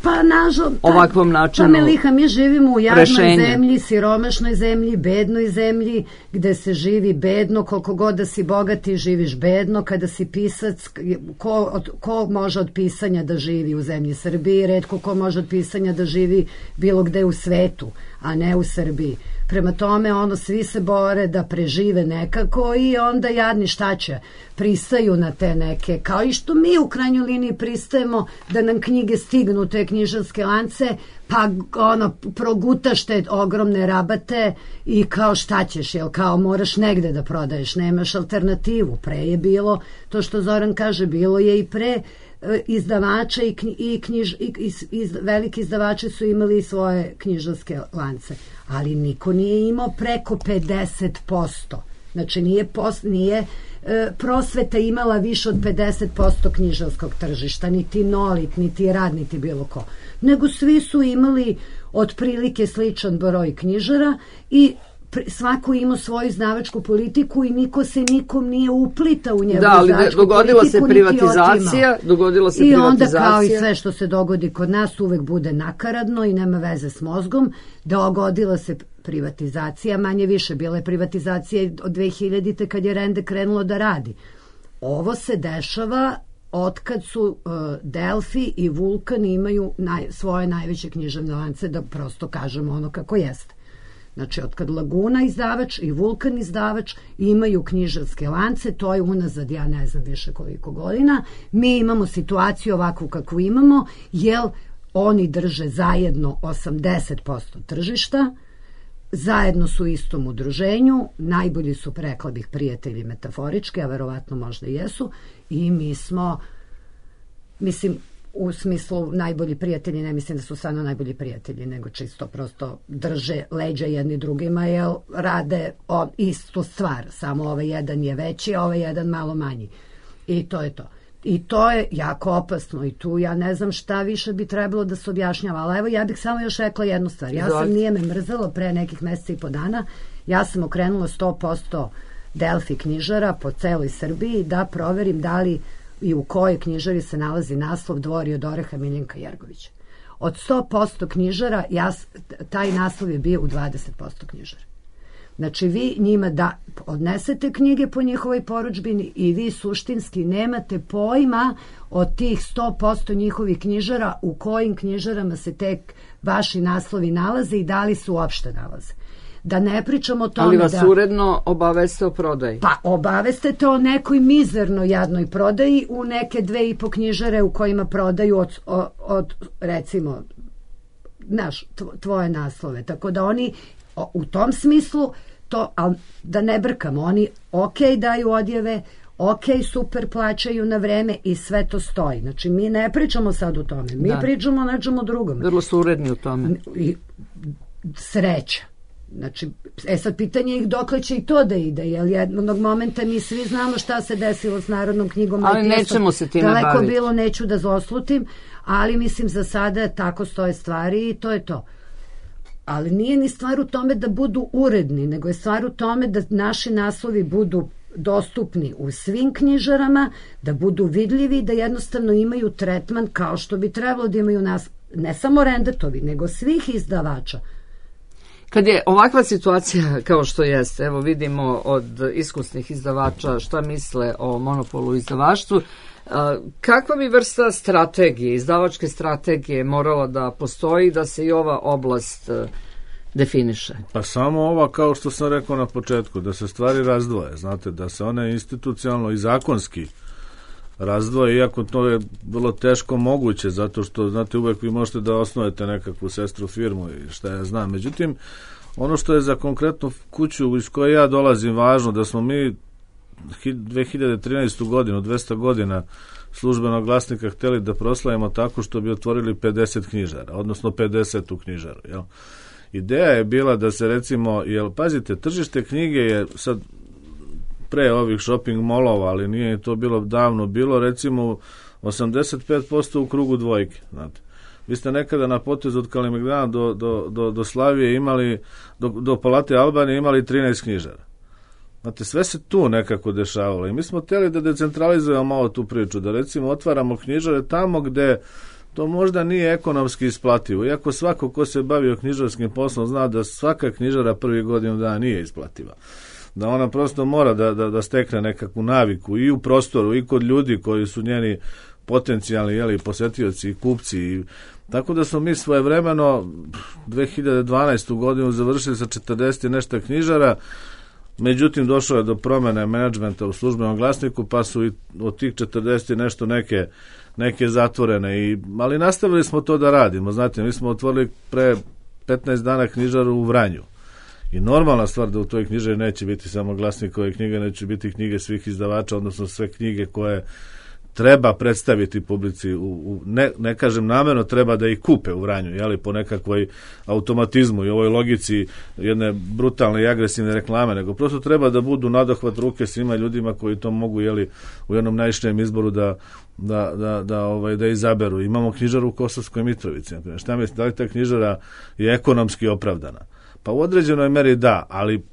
pa, nažal, ovakvom načinu pa, Meliha, mi živimo u jadnoj rešenja. zemlji, siromašnoj zemlji, bednoj zemlji, gde se živi bedno, koliko god da si bogati, živiš bedno, kada si pisac, ko, od, ko može od pisanja da živi u zemlji Srbiji, retko ko može od pisanja da živi bilo gde u svetu, a ne u Srbiji. Prema tome, ono, svi se bore da prežive nekako i onda jadni šta će, pristaju na te neke, kao i što mi u krajnjoj liniji pristajemo da nam knjige stignu, te knjižarske lance, pa ono, progutaš te ogromne rabate i kao šta ćeš, jel, kao moraš negde da prodaješ, nemaš alternativu. Pre je bilo, to što Zoran kaže, bilo je i pre izdavača i, knji, i, knjiž, i iz, iz, veliki izdavači su imali svoje knjižarske lance, ali niko nije imao preko pedeset posto. Znači nije, post, nije e, prosveta imala više od pedeset posto knjižarskog tržišta, niti Nolit, niti Rad, niti bilo ko. Nego svi su imali otprilike sličan broj knjižara i svako ima svoju izdavačku politiku i niko se nikom nije uplitao u njegovu da, ali izdavačku dogodila politiku, se privatizacija, dogodila se i privatizacija. onda kao i sve što se dogodi kod nas uvek bude nakaradno i nema veze s mozgom. Dogodila se privatizacija, manje više bila je privatizacija od dve hiljadite kad je Rende krenulo da radi. Ovo se dešava otkad su uh, Delfi i Vulkan imaju naj, svoje najveće književne lance, da prosto kažemo ono kako jeste. Znači, od kad Laguna izdavač i Vulkan izdavač imaju knjižarske lance, to je unazad, ja ne znam više koliko godina, mi imamo situaciju ovakvu kakvu imamo, jer oni drže zajedno osamdeset posto tržišta, zajedno su u istom udruženju, najbolji su, rekla bih, prijatelji metaforički, a verovatno možda i jesu, i mi smo, mislim, u smislu najbolji prijatelji, ne mislim da su stvarno najbolji prijatelji, nego čisto prosto drže leđa jedni drugima, jer rade o, istu stvar, samo ovaj jedan je veći, a ovaj jedan malo manji. I to je to. I to je jako opasno i tu ja ne znam šta više bi trebalo da se objašnjava, ali evo ja bih samo još rekla jednu stvar. Ja sam, nije me mrzelo, pre nekih meseca i po dana, ja sam okrenula sto posto Delfi knjižara po celoj Srbiji da proverim da li i u kojoj knjižari se nalazi naslov Dvori od oreha Miljenka Jergovića. Od sto posto knjižara, ja, taj naslov je bio u dvadeset posto knjižara. Znači, vi njima da odnesete knjige po njihovoj porudžbini i vi suštinski nemate pojma od tih sto posto njihovih knjižara u kojim knjižarama se tek vaši naslovi nalaze i da li se uopšte nalaze. Da ne pričamo o tome ali vas da... uredno obaveste o prodaji. Pa obavestete o nekoj mizerno jadnoj prodaji u neke dve i po knjižare u kojima prodaju od, od, od recimo, znaš, tvoje naslove. Tako da oni u tom smislu, to, ali da ne brkamo, oni ok daju odjeve, ok, super plaćaju na vreme i sve to stoji. Znači, mi ne pričamo sad o tome. Mi da. pričamo o nečemu drugome. Vrlo su uredni u tome. I, sreća. Znači, e sad pitanje ih dokle će i to da ide, jer jednog momenta mi svi znamo šta se desilo s Narodnom knjigom. Ali nećemo se time daleko baviti. Bilo, neću da zoslutim, ali mislim za sada tako stoje stvari i to je to. Ali nije ni stvar u tome da budu uredni, nego je stvar u tome da naši naslovi budu dostupni u svim knjižarama, da budu vidljivi, da jednostavno imaju tretman kao što bi trebalo da imaju nas, ne samo Rendetovi, nego svih izdavača. Kad je ovakva situacija kao što jeste, evo vidimo od iskusnih izdavača šta misle o monopolu u izdavaštvu, kakva bi vrsta strategije, izdavačke strategije morala da postoji da se i ova oblast definiše? Pa samo ova, kao što sam rekao na početku, da se stvari razdvoje, znate, da se one institucionalno i zakonski razdvoje, iako to je vrlo teško moguće, zato što, znate, uvek vi možete da osnovete nekakvu sestru firmu i šta ja znam. Međutim, ono što je za konkretnu kuću iz koje ja dolazim važno, da smo mi dve hiljade trinaestu. godinu, dvesta godina službenog glasnika hteli da proslavimo tako što bi otvorili pedeset knjižara, odnosno pedeset u knjižaru. Jel? Ideja je bila da se recimo, jel, pazite, tržište knjige je sad pre ovih shopping molova, ali nije to bilo davno, bilo recimo osamdeset pet posto u krugu dvojke, znate. Vi ste nekada na potezu od Kalemegdana do, do, do, do Slavije imali, do, do Palate Albanije imali trinaest knjižara. Znate, sve se tu nekako dešavalo i mi smo hteli da decentralizujemo malo tu priču, da recimo otvaramo knjižare tamo gde to možda nije ekonomski isplativo, iako svako ko se bavio knjižarskim poslom zna da svaka knjižara prvi godinu dana nije isplativa. Da ona prosto mora da, da, da stekne nekakvu naviku i u prostoru i kod ljudi koji su njeni potencijalni, jeli, posetioci i kupci. I, tako da smo mi svojevremeno dve hiljade dvanaestu. godinu završili sa četrdeset i nešto knjižara, međutim došlo je do promene menadžmenta u službenom glasniku, pa su i od tih četrdeset i nešto neke, neke zatvorene. I, ali nastavili smo to da radimo. Znate, mi smo otvorili pre petnaest dana knjižaru u Vranju. I normalna stvar da u toj knjižari neće biti samo glasnikove knjige, neće biti knjige svih izdavača, odnosno sve knjige koje treba predstaviti publici, u, u, ne, ne kažem namjerno, treba da ih kupe u Vranju, jeli, po nekakvoj automatizmu i ovoj logici jedne brutalne i agresivne reklame, nego prosto treba da budu nadohvat ruke svima ljudima koji to mogu, jeli, u jednom najšnijem izboru da, da, da, da, ovaj, da izaberu. Imamo knjižaru u Kosovskoj Mitrovici. Šta mislite, da li ta knjižara je ekonomski opravdana? Pa u određenoj meri da, ali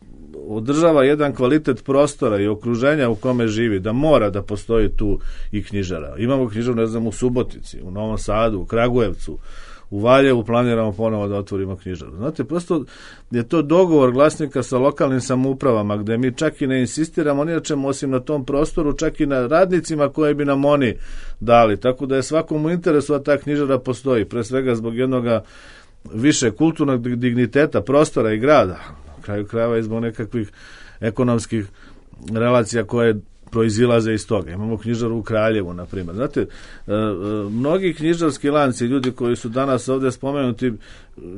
održava jedan kvalitet prostora i okruženja u kome živi, da mora da postoji tu i knjižara. Imamo knjižaru, ne znam, u Subotici, u Novom Sadu, u Kragujevcu, u Valjevu planiramo ponovo da otvorimo knjižaru. Znate, prosto je to dogovor glasnika sa lokalnim samoupravama, gde mi čak i ne insistiramo ni na čemu osim na tom prostoru, čak i na radnicima koje bi nam oni dali. Tako da je svakom u interesu da ta knjižara postoji, pre svega zbog jednoga više kulturnog digniteta prostora i grada, na kraju krajeva i zbog nekakvih ekonomskih relacija koje proizilaze iz toga. Imamo knjižaru u Kraljevu, na primjer. Znate, mnogi knjižarski lanci, ljudi koji su danas ovdje spomenuti,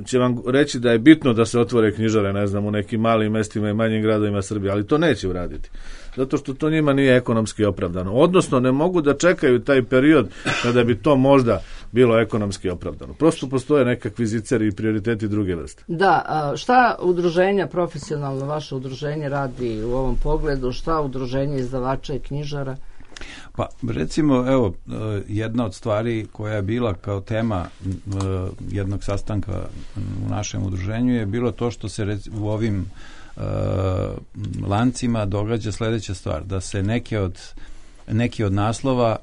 će vam reći da je bitno da se otvore knjižare, ne znam, u nekim malim mestima i manjim gradovima Srbije, ali to neće uraditi. Zato što to njima nije ekonomski opravdano. Odnosno, ne mogu da čekaju taj period kada bi to možda bilo ekonomski opravdano. Prosto postoje nekakvi ziceri i prioriteti druge vrste. Da, a šta udruženja, profesionalno vaše udruženje radi u ovom pogledu, šta udruženje izdavača i knjižara? Pa recimo, evo, jedna od stvari koja je bila kao tema jednog sastanka u našem udruženju je bilo to što se u ovim Uh, lancima događa sljedeća stvar, da se neke od, neki od naslova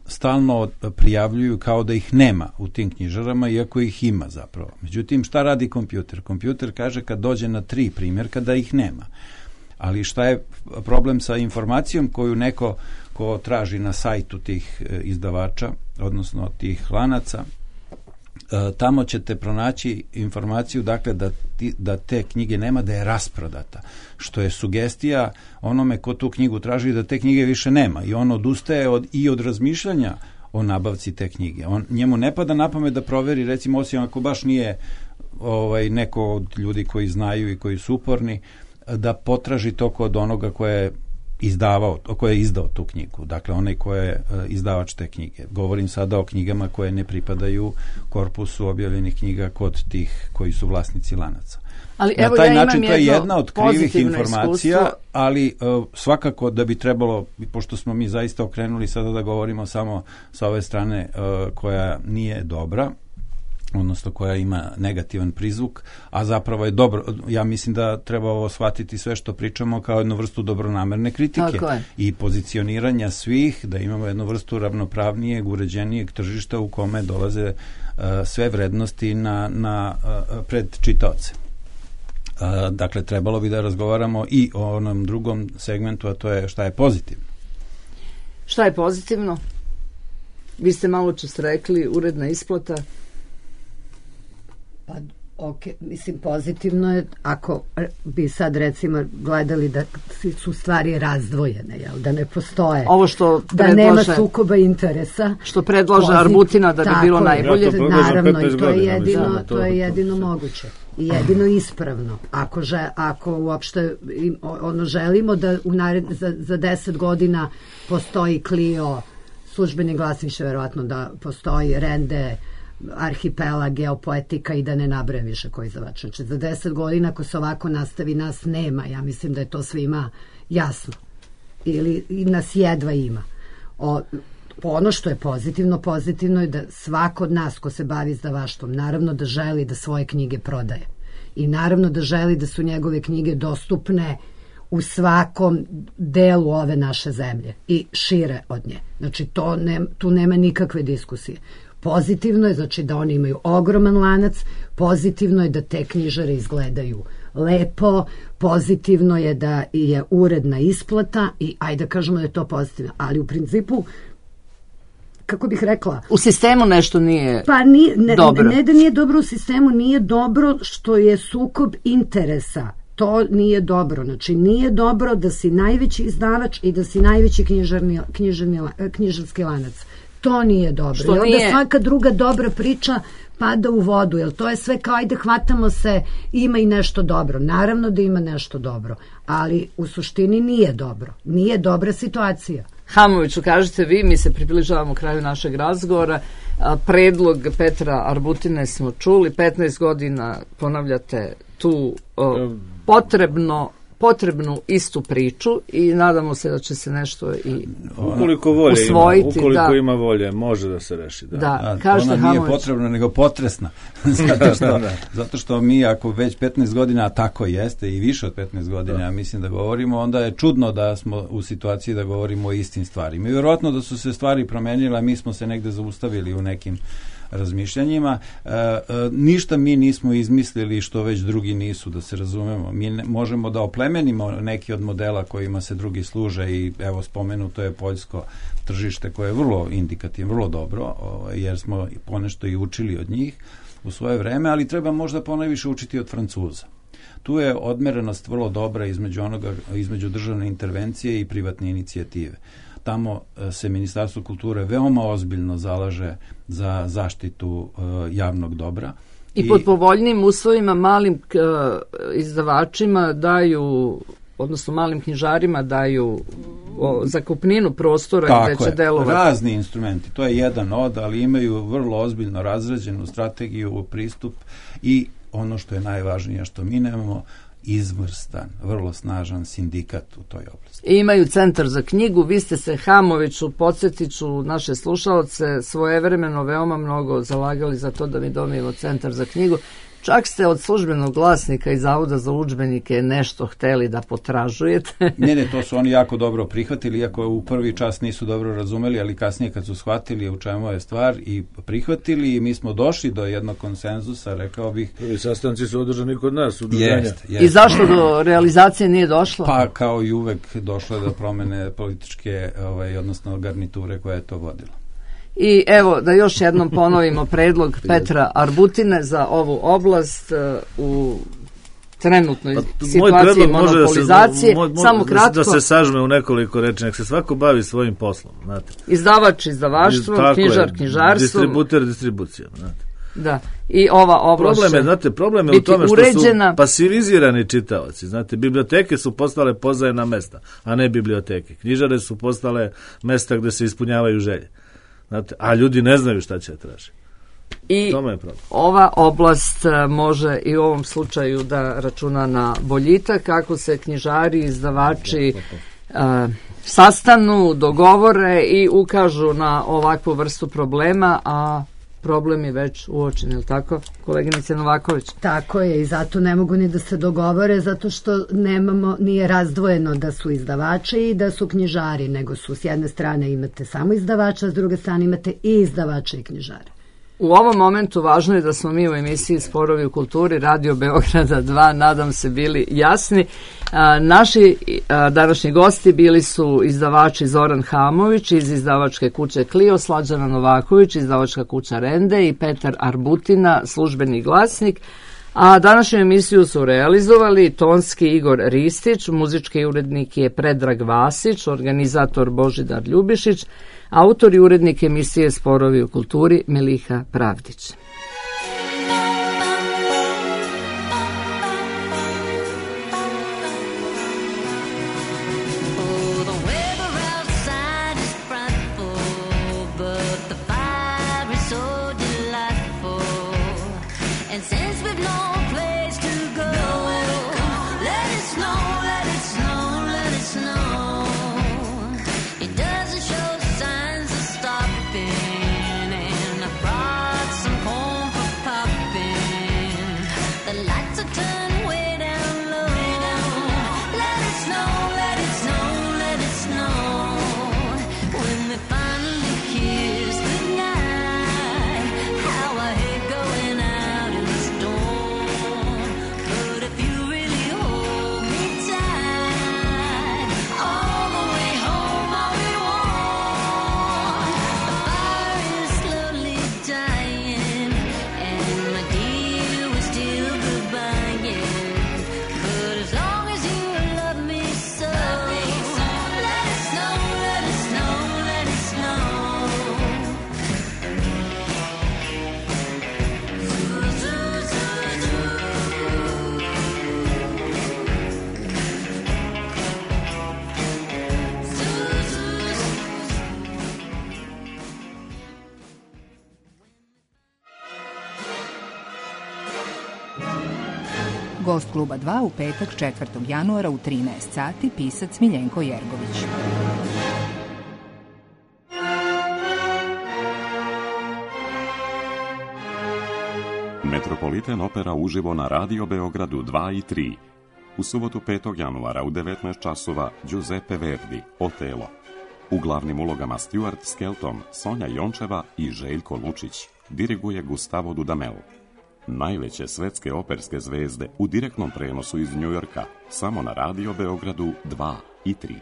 stalno prijavljuju kao da ih nema u tim knjižarama, iako ih ima zapravo. Međutim, šta radi kompjuter? Kompjuter kaže kad dođe na tri primjerka da ih nema. Ali šta je problem sa informacijom koju neko ko traži na sajtu tih izdavača, odnosno tih lanaca, tamo ćete pronaći informaciju, dakle, da, ti, da te knjige nema, da je rasprodata, što je sugestija onome ko tu knjigu traži da te knjige više nema i on odustaje od, i od razmišljanja o nabavci te knjige. On, njemu ne pada na pamet da proveri, recimo, osim ako baš nije ovaj, neko od ljudi koji znaju i koji su uporni, da potraži to kod onoga koje je izdavao, koje je izdao tu knjigu. Dakle, onaj ko je izdavač te knjige. Govorim sada o knjigama koje ne pripadaju korpusu objavljenih knjiga kod tih koji su vlasnici lanaca. Ali, na evo, taj ja način to je jedna od krivih informacija, iskustvo. ali uh, svakako da bi trebalo, pošto smo mi zaista okrenuli sada da govorimo samo sa ove strane uh, koja nije dobra, odnosno koja ima negativan prizvuk, a zapravo je dobro. Ja mislim da treba ovo shvatiti sve što pričamo kao jednu vrstu dobronamerne kritike i pozicioniranja svih, da imamo jednu vrstu ravnopravnijeg, uređenijeg tržišta u kome dolaze uh, sve vrednosti na, na, uh, pred čitaoce. Uh, dakle, trebalo bi da razgovaramo i o onom drugom segmentu, a to je šta je pozitivno. Šta je pozitivno? Vi ste malo čas rekli, uredna isplata. Pa, ok, mislim, pozitivno je ako bi sad recimo gledali da su stvari razdvojene, jel? Da ne postoje, ovo što da predlaže, nema sukoba interesa, što predlaže Arbutina da bi bilo je, najbolje. Ja naravno, i to je jedino, to, to je jedino to, moguće i jedino ispravno. Ako, že, ako uopšte ono želimo da u nared, za, za deset godina postoji Clio, službeni glas, više verovatno da postoji Rende, Arhipelag, Geopoetika i da ne nabrajam više koji izdavač. Znači, za deset godina ako se ovako nastavi nas nema. Ja mislim da je to svima jasno. Ili i nas jedva ima. O, ono što je pozitivno, pozitivno je da svako od nas ko se bavi izdavaštvom, naravno da želi da svoje knjige prodaje. I naravno da želi da su njegove knjige dostupne u svakom delu ove naše zemlje i šire od nje. Znači, to ne, tu nema nikakve diskusije. Pozitivno je, znači, da oni imaju ogroman lanac, pozitivno je da te knjižare izgledaju lepo, pozitivno je da je uredna isplata i ajde da kažemo da je to pozitivno, ali u principu, kako bih rekla, u sistemu nešto nije pa nije, ne, dobro. Ne, ne da nije dobro u sistemu, nije dobro što je sukob interesa. To nije dobro. Znači, nije dobro da si najveći izdavač i da si najveći knjižarni, knjižarni, knjižarski lanac. To nije dobro. Što I onda nije... svaka druga dobra priča pada u vodu, jer to je sve kao ajde hvatamo se, ima i nešto dobro. Naravno da ima nešto dobro, ali u suštini nije dobro. Nije dobra situacija. Hamoviću, kažete vi, mi se približavamo kraju našeg razgovora. Predlog Petra Arbutine smo čuli, petnaest godina ponavljate tu o, potrebno potrebnu istu priču i nadamo se da će se nešto i ukoliko volje usvojiti. Ima, ukoliko da. ima volje, može da se reši. Da, da, da kažete ona Hamović. Nije potrebna, nego potresna. zato, što, zato što mi, ako već petnaest godina, a tako jeste, i više od petnaest godina, da. Ja mislim da govorimo, onda je čudno da smo u situaciji da govorimo o istim stvarima. I vjerojatno da su se stvari promenile, a mi smo se negde zaustavili u nekim razmišljanjima. E, e, ništa mi nismo izmislili što već drugi nisu, da se razumemo. Mi ne, možemo da oplemenimo neki od modela kojima se drugi služe i evo spomenuto je poljsko tržište koje je vrlo indikativno, vrlo dobro, o, jer smo ponešto i učili od njih, u svoje vreme, ali treba možda ponajviše učiti od Francuza. Tu je odmerenost vrlo dobra između onoga, između državne intervencije i privatne inicijative. Tamo se Ministarstvo kulture veoma ozbiljno zalaže za zaštitu uh, javnog dobra. I, I pod povoljnim uslovima malim k, izdavačima daju, odnosno malim knjižarima daju o, zakupninu prostora tako gde će je, delovati. Razni instrumenti, to je jedan od, ali imaju vrlo ozbiljno razrađenu strategiju, pristup i ono što je najvažnije što mi nemamo, izvrstan, vrlo snažan sindikat u toj oblasti. I imaju centar za knjigu, vi ste se Hamoviću, podsjetit ću naše slušalce, svojevremeno veoma mnogo zalagali za to da mi dobijemo centar za knjigu. Čak ste od službenog glasnika i Zavoda za udžbenike nešto hteli da potražujete. ne, ne, to su oni jako dobro prihvatili, iako u prvi čas nisu dobro razumeli, ali kasnije kad su shvatili u čemu je stvar i prihvatili i mi smo došli do jednog konsenzusa, rekao bih. Prvi sastanci su održani kod nas, udruženja. Jest, jest. I zašto do realizacije nije došlo? Pa kao i uvek došlo je do promene političke, ovaj, odnosno garniture koja je to vodila. I evo da još jednom ponovimo predlog Petra Arbutine za ovu oblast uh, u trenutnoj pa, situaciji monopolizacije. Da se, mo, Samo kratko. Da se sažme u nekoliko reči, nek se svako bavi svojim poslom. Znate. Izdavač, izdavaštvo, Iz, knjižar, je, knjižarstvo. Distributer, distribucija. Znate. Da, i ova oblast problem je, znate, problem je u tome što uređena. Su pasivizirani čitaoci. Znate, biblioteke su postale pozajena mesta, a ne biblioteke. Knjižare su postale mesta gde se ispunjavaju želje. Znate, a ljudi ne znaju šta će tražiti. I ova oblast može i u ovom slučaju da računa na boljitak kako se knjižari, izdavači uh, sastanu, dogovore i ukažu na ovakvu vrstu problema, a problem je već uočen, je li tako, koleginice Novaković? Tako je, i zato ne mogu ni da se dogovore, zato što nemamo, nije razdvojeno da su izdavači i da su knjižari, nego su s jedne strane imate samo izdavača, s druge strane imate i izdavača i knjižare. U ovom momentu važno je da smo mi u emisiji Sporovi u kulturi Radio Beograda dva, nadam se, bili jasni. A, naši a, današnji gosti bili su izdavači Zoran Hamović iz izdavačke kuće Clio, Slađana Novaković, izdavačka kuća Rende i Petar Arbutina, službeni glasnik. A današnju emisiju su realizovali tonski Igor Ristić, muzički urednik je Predrag Vasić, organizator Božidar Ljubišić, autor i urednik emisije Sporovi u kulturi Miliha Pravdić. Gost kluba dva u petak četvrtog januara u trinaest sati, pisac Miljenko Jergović. Metropolitan opera uživo na Radio Beogradu dva i tri. U subotu petog januara u devetnaest časova Giuseppe Verdi, Otelo. U glavnim ulogama Stuart Skelton, Sonja Jončeva i Željko Lučić. Diriguje Gustavo Dudamel. Najveće svetske operske zvezde u direktnom prenosu iz Njujorka, samo na Radio Beogradu dva i tri.